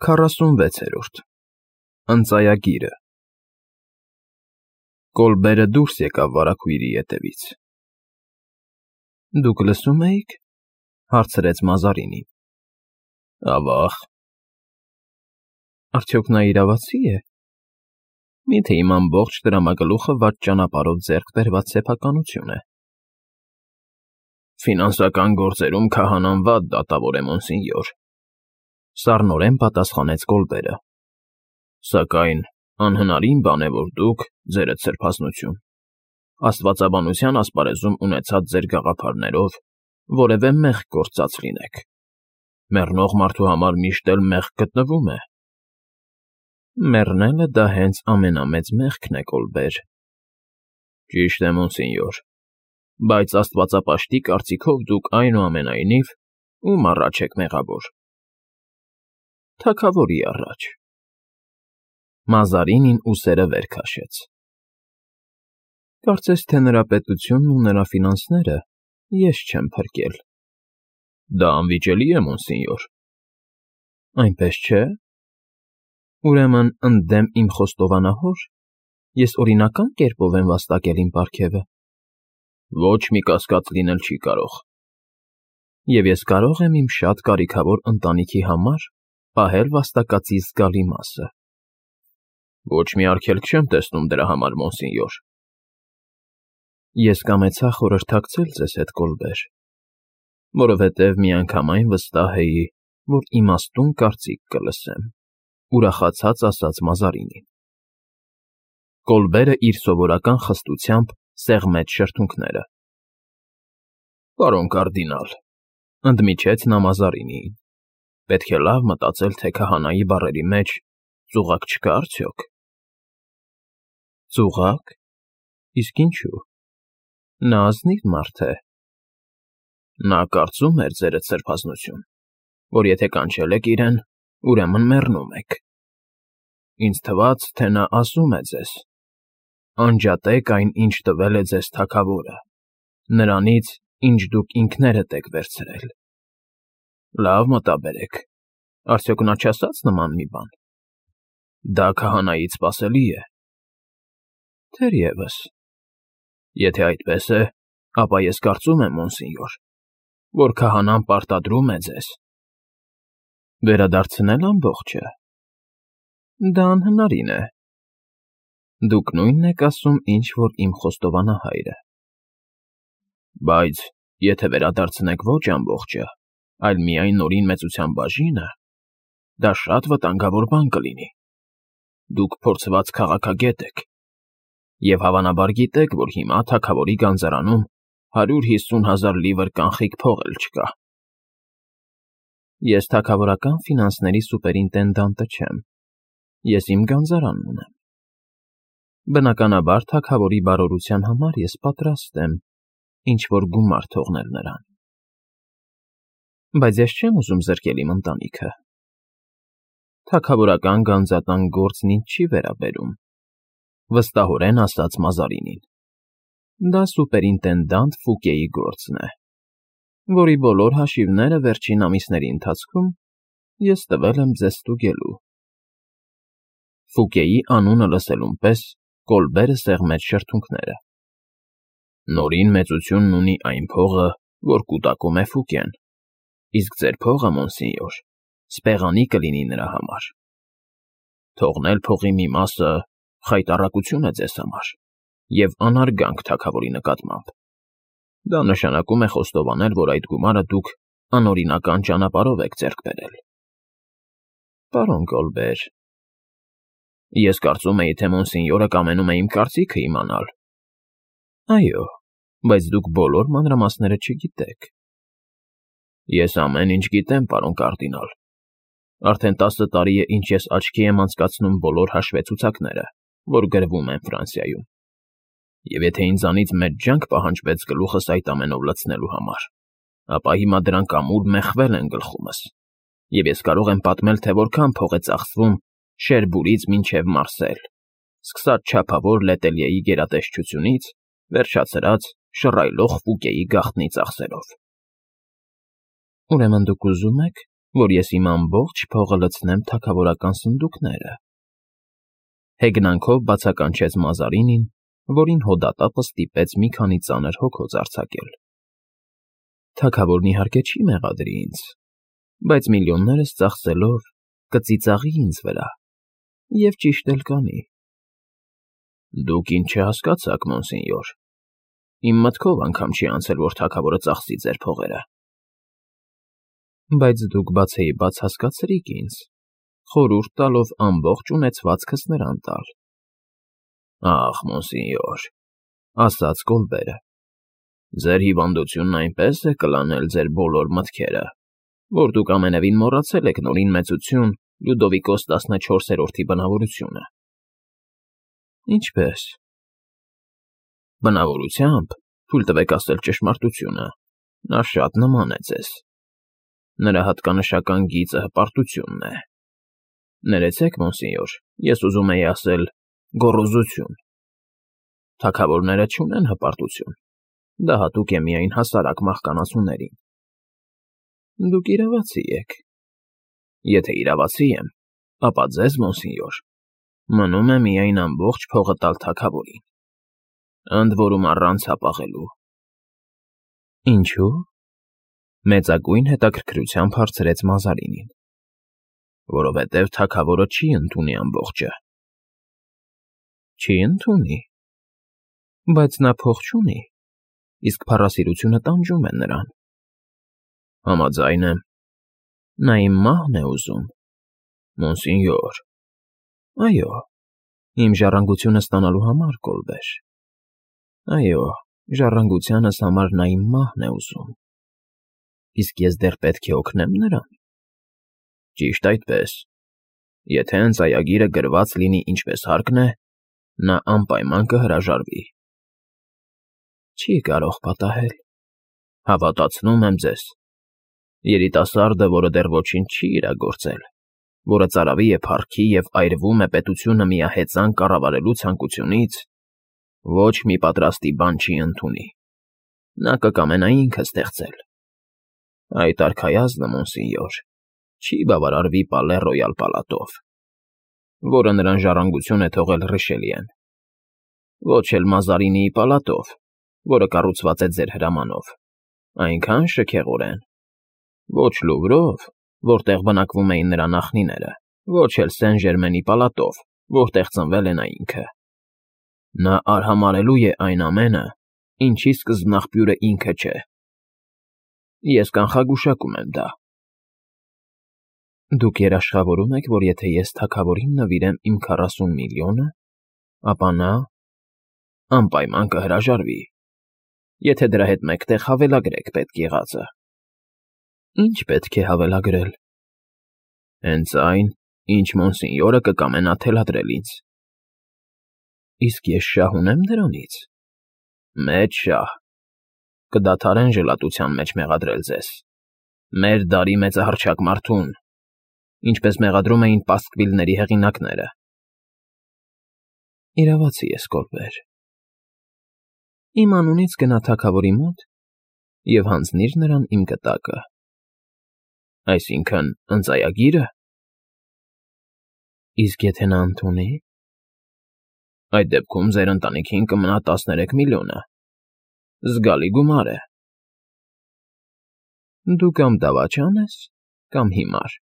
46-րդ Ընծայագիրը Կոլբերը դուրս եկավ վարագույրի ետևից։ Դուք լսում էիք, հարցրեց Մազարինին։ Ավաղ։ Արդյոք նա իրավացի է։ Միթե իմ ամբողջ դրամագլուխը վատ ճանապարհով ձեռք բերված սեփականություն է։ Ֆինանսական գործերում քահանան վատ դատավոր է, մոնսինյոր, սառնորեն պատասխանեց Կոլբերը։ Սակայն անհնարին բան է, որ դուք, ձերդ սրբազնություն, աստվածաբանության ասպարեզում ունեցած ձեր գաղափարներով որևէ մեղք գործած լինեք։ Մեռնող մարդու համար միշտ էլ մեղք գտնվում է։ Մեռնելը դա հենց ամենամեծ մեղքն է, Կոլբեր։ Ճիշտ է, մոնսինյոր, բայց աստվածապաշտի կարծիքով դուք այնուամենայնիվ ում առաջ եք մեղավոր։ Թագավորի առաջ։ Մազարինին ուսերը վեր քաշեց։ Կարծես թե նրա պետությունն ու նրա ֆինանսները ես չեմ փրկել։ Դա անվիճելի է, մոնսինյոր։ Այնպես չէ։ Ուրեմն ընդդեմ իմ խոստովանահոր ես օրինական կերպով եմ վաստակել իմ պարգևը։ Ոչ մի կասկած լինել չի կարող։ Եվ ես կարող եմ իմ շատ կարիքավոր ընտանիքի համար պահել վաստակածի զգալի մասը։ Ոչ մի արգելք չեմ տեսնում դրա համար, մոնսինյոր։ Ես կամեցա խորհրդակցել ձեզ հետ, Կոլբեր, որովհետև միանգամայն վստահ էի, որ իմաստուն կարծիք կլսեմ, ուրախացած ասաց Մազարինին։ Կոլբերը իր սովորական խստությամբ սեղմեց շրթունքները։ Պարոն կարդինալ, ընդմիջեց նա Մազարինիին, պետք է լավ մտածել, թե քահանայի բառերի մեջ ծուղակ չկա արդյոք։ Ծուղակ։ Իսկ ինչու։ Նա ազնիվ մարդ է։ Նա կարծում էր, ձերդ սրբազնություն, որ եթե կանչել եք իրեն, ուրեմն մեռնում եք։ Ինձ թվաց, թե նա ասում է ձեզ. անջատեք այն, ինչ տվել է ձեզ թագավորը, նրանից, ինչ դուք ինքներդ եք վերցրել։ Լավ մտաբերեք, արդյոք նա չասաց նման մի բան։ Դա քահանայից սպասելի է։ Թերևս։ Եթե այդպես է, ապա ես կարծում եմ, մոնսինյոր, որ քահանան պարտադրում է ձեզ։ Վերադարձնել ամբողջը։ Դա անհնարին է։ Դուք նույնն եք ասում, ինչ որ իմ խոստովանահայրը։ Բայց եթե վերադարձնեք ոչ ամբողջը, այլ միայն նորին մեծության բաժինը, դա շատ վտանգավոր բան կլինի։ Դուք փորձված քաղաքագետ եք, և հավանաբար գիտեք, որ հիմա թագավորի գանձարանում 150,000 լիվր կանխիկ փող էլ չկա։ Ես թագավորական ֆինանսների սուպերինտենդանտը չեմ։ Ես իմ գանձարանն ունեմ։ Բնականաբար թագավորի բարօրության համար ես պատրաստ եմ ինչ-որ գումար թողնել նրան։ Բայց ես չեմ ուզում զրկել իմ ընտանիքը։ Թագավորական գանձատան գործն ինձ չի վերաբերում, վստահորեն ասաց Մազարինին։ Դա սուպերինտենդանտ Ֆուկեի գործն է, որի բոլոր հաշիվները վերջին ամիսների ընթացքում ես տվել եմ ձեզ ստուգելու։ Ֆուկեի անունը լսելուն պես Կոլբերը սեղմեց շրթունքները։ Նորին մեծությունն ունի այն փողը, որ կուտակում է Ֆուկեն, իսկ ձեր փողը, մոնսինյոր, սպեղանի կլինի նրա համար։ Թողնել փողի մի մասը խայտառակություն է ձեզ համար և անարգանք թագավորի նկատմամբ։ Դա նշանակում է խոստովանել, որ այդ գումարը դուք անօրինական ճանապարհով եք ձեռք բերել։ Պարոն Կոլբեր, ես կարծում էի, թե մոնսինյորը կամենում է իմ կարծիքը իմանալ։ Այո, բայց դուք բոլոր մանրամասները չգիտեք։ Ես ամեն ինչ գիտեմ, պարոն կարդինալ։ Արդեն 10 տարի է, ինչ ես աչքի եմ անցկացնում բոլոր հաշվեցուցակները, որ գրվում են Ֆրանսիայում։ Եվ եթե ինձանից մեծ ջանք պահանջվեց գլուխս այդ ամենով լցնելու համար, ապա հիմա դրանք ամուր մեխվել են գլխումս, և ես կարող եմ պատմել, թե որքան փող է ծախսվում Շերբուրից մինչև Մարսել, սկսած չափավոր Լետելիեի գերատեսչությունից, վերջացրած շռայլող Ֆուկեի գաղտնի ծախսերով։ Ուրեմն դուք ուզում եք, որ ես իմ ամբողջ փողը լցնեմ թագավորական սնդուկները։ Հեգնանքով բացականչեց Մազարինին, որին հոդատապը ստիպեց մի քանի ծանր հոգոց արձակել։ Թագավորն իհարկե չի մեղադրի ինձ, բայց միլիոններս ծախսելով կծիծաղի ինձ վրա, և ճիշտ էլ կանի։ Դուք ինչ չհասկացաք, մոնսենյոր, իմ մտքով անգամ չի անցել, որ թագավորը ծախսի ձեր փողերը։ Բայց դուք բացեիբաց հասկացրիք ինձ, խորհուրդ տալով ամբողջ ունեցվածքս նրան տալ։ Ախ, մոնսենյոր, ասաց Կոլբերը, ձեր հիվանդությունն այնպես է կլանել ձեր բոլոր մտքերը, որ դուք ամենևին մոռացել եք Նորին Մեծություն Լյուդովիկոս 14-րդի բնավորությունը։ Ինչպե՞ս։ Բնավորությամբ, թույլ տվեք ասել ճշմարտությունը, նա շատ նման է ձեզ։ Նրա հատկանշական գիծը հպարտությունն է։ Ներեցեք, մոնսենյոր, ես ուզում էի ասել գոռոզություն։ Թագավորները չունեն հպարտություն, դա հատուկ է միայն հասարակ մահկանացուներին։ Դուք իրավացի եք։ Եթե իրավացի եմ, ապա ձեզ, մոնսենյոր, մնում է միայն ամբողջ փողը տալ թագավորին, ընդ որում առանց հապաղելու։ Ինչու՞։ Մեծագույն հետաքրքրությամբ հարցրեց Մազարինին։ Որովհետև թագավորը չի ընդունի ամբողջը։ Չի ընդունի։ Բայց նա փող չունի, իսկ փառասիրությունը տանջում է նրան։ Համաձայն եմ, նա իմ մահն է ուզում, մոնսենյոր։ Այո, իմ ժառանգությունը ստանալու համար, Կոլբեր։ Այո, ժառանգությանս համար նա իմ մահն է ուզում։ Իսկ ես դեռ պետք է օգնեմ նրան։ Ճիշտ այդպես։ Եթե ընծայագիրը գրված լինի ինչպես հարկն է, նա անպայման կհրաժարվի։ Չի կարող պատահել։ Հավատացնում եմ ձեզ։ Երիտասարդը, որը դեռ ոչինչ չի իրագործել, որը ծարավի է փառքի և այրվում է պետությունը միահեծան կառավարելու ցանկությունից, ոչ մի պատրաստի բան չի ընդունի։ Նա կկամենա ինքը ստեղծել։ Այդ արքայազնը, մոնսենյոր, չի բավարարվի Պալե Ռոյալ պալատով, որը նրան ժառանգություն է թողել Ռիշելիեն, ոչ էլ Մազարինիի պալատով, որը կառուցված է ձեր հրամանով, այնքան շքեղորեն, ոչ Լուվրով, որտեղ բնակվում էին նրա նախնիները, ոչ էլ Սեն Ժերմենի պալատով, որտեղ ծնվել է նա ինքը։ Նա արհամարհելու է այն ամենը, ինչի սկզբնաղբյուրը ինքը չէ։ Ես կանխագուշակում եմ դա։ Դուք երաշխավորում եք, որ եթե ես թագավորին նվիրեմ իմ 40 միլիոնը, ապա նա անպայման կհրաժարվի, եթե դրա հետ մեկտեղ հավելագրեք պետք եղածը։ Ինչ պետք է հավելագրել։ Հենց այն, ինչ մոնսենյորը կկամենա թելադրել ինձ։ Իսկ ես շահ ունեմ դրանից։ Մեծ շահ։ Կդադարեն ժլատության մեջ մեղադրել ձեզ։ Մեր դարի մեծահռչակ մարդուն, ինչպես մեղադրում էին պասկվիլների հեղինակները։ Իրավացի ես, Կոլբեր։ Իմ անունից գնա թագավորի մոտ և հանձնիր նրան իմ գտակը։ Այսինքն, ընծայագիրը։ Իսկ եթե նա ընդունի։ Այդ դեպքում ձեր ընտանիքին կմնա 13 միլիոնը։ Զգալի գումար է։ Դու կամ դավաճան ես, կամ հիմար։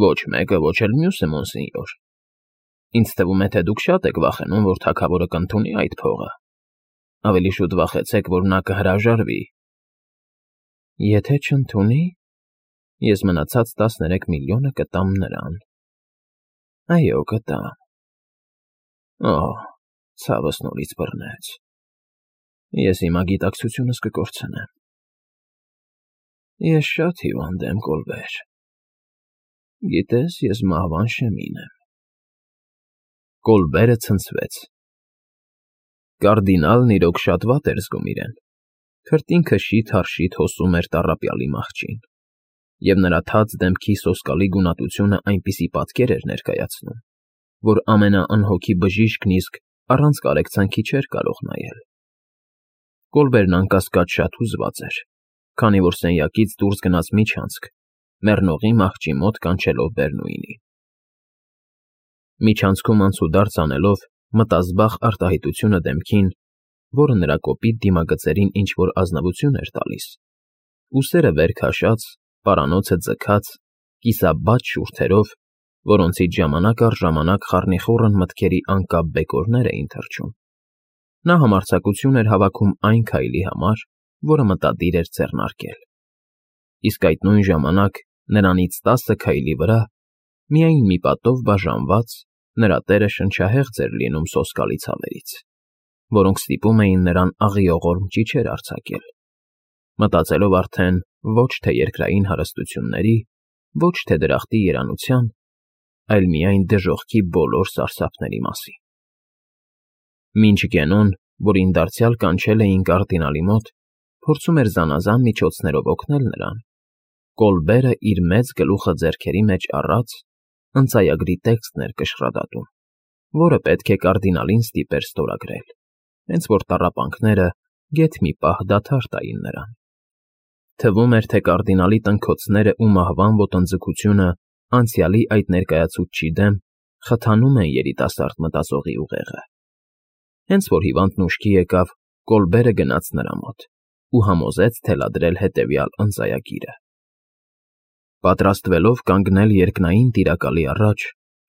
Ոչ մեկը, ոչ էլ մյուսը, մոնսենյոր։ Ինձ թվում է, թե դուք շատ եք վախենում, որ թագավորը կընդունի այդ փողը։ Ավելի շուտ վախեցեք, որ նա կհրաժարվի։ Եթե չընդունի, ես մնացած 13 միլիոնը կտամ նրան։ Այո, կտամ։ Օհ, ցավս նորից բռնեց։ Ես հիմա գիտակցությունս կկորցնեմ։ Ես շատ հիվանդ եմ, Կոլբեր։ Գիտես, ես մահվան շեմին եմ։ Կոլբերը ցնցվեց։ Կարդինալն իրոք շատ վատ էր զգում իրեն։ Քրտինքը շիթ-առ-շիթ հոսում էր տառապյալի մահճին, և նրա թաց դեմքի սոսկալի գունատությունը այնպիսի պատկեր էր ներկայացնում, որ ամենաանհոգի բժիշկն իսկ առանց կարեկցանքի չէր կարող նայել։ Կոլբերն անկասկած շատ հուզված էր, քանի որ սենյակից դուրս գնաց միջանցք մեռնողի մահճի մոտ կանչելով Բեռնուինին։ Միջանցքում անցուդարձ անելով մտազբաղ արտահայտությունը դեմքին, որը նրա կոպիտ դիմագծերին ինչ-որ ազնվություն էր տալիս, ուսերը վեր քաշած, պարանոցը ձգած, կիսաբաց շուրթերով, որոնցից ժամանակ առ ժամանակ խառնիխուռն մտքերի անկապ բեկորներ էին թռչում, նա համարձակություն էր հավաքում այն քայլի համար, որը մտադիր էր ձեռնարկել։ Իսկ այդ նույն ժամանակ նրանից 10 քայլի վրա, միայն մի պատով բաժանված, նրա տերը շնչահեղձ էր լինում սոսկալի ցավերից, որոնք ստիպում էին նրան աղիողորմ ճիչեր արձակել, մտածելով արդեն ոչ թե երկրային հարստությունների, ոչ թե դրախտի երանության, այլ միայն դժոխքի բոլոր սարսափների մասին։ Մինչ Գենոն, որին դարձյալ կանչել էին կարդինալի մոտ, փորձում էր զանազան միջոցներով օգնել նրան, Կոլբերը իր մեծ գլուխը ձեռքերի մեջ առած, ընծայագրի տեքստն էր կշռադատում, որը պետք է կարդինալին ստիպեր ստորագրել, հենց որ տառապանքները գեթ մի պահ դադար տային նրան։ Թվում էր, թե կարդինալի տնքոցները ու մահվան ոտնձգությունը անցյալի այդ ներկայացուցչի դեմ խթանում են երիտասարդ մտածողի ուղեղը։ Հենց որ հիվանդն ուշքի եկավ, Կոլբերը գնաց նրա մոտ ու համոզեց թելադրել հետևյալ ընծայագիրը. Պատրաստվելով կանգնել երկնային տիրակալի առաջ,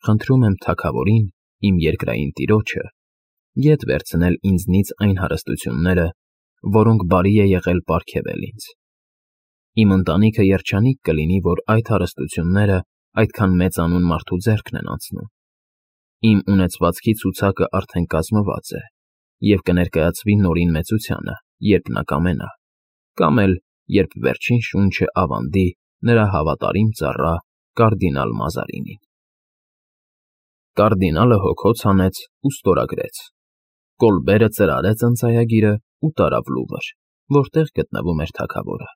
խնդրում եմ թագավորին, իմ երկրային տիրոջը, ետ վերցնել ինձնից այն հարստությունները, որոնք բարի է եղել պարգևել ինձ։ Իմ ընտանիքը երջանիկ կլինի, որ այդ հարստությունները այդքան մեծանուն մարդու ձեռքն են անցնում։ Իմ ունեցվածքի ցուցակը արդեն կազմված է և կներկայացվի նորին մեծությանը, երբ նա կամենա, կամ էլ երբ վերջին շունչը ավանդի նրա հավատարիմ ծառա կարդինալ Մազարինին։ Կարդինալը հոգոց հանեց ու ստորագրեց։ Կոլբերը ծրարեց ընծայագիրը ու տարավ Լուվր, որտեղ գտնվում էր թագավորը։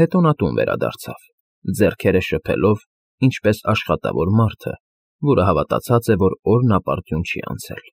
Հետո նա տուն վերադարձավ, ձեռքերը շփելով, ինչպես աշխատավոր մարդը, որը հավատացած է, որ օրն ապարդյուն չի անցել։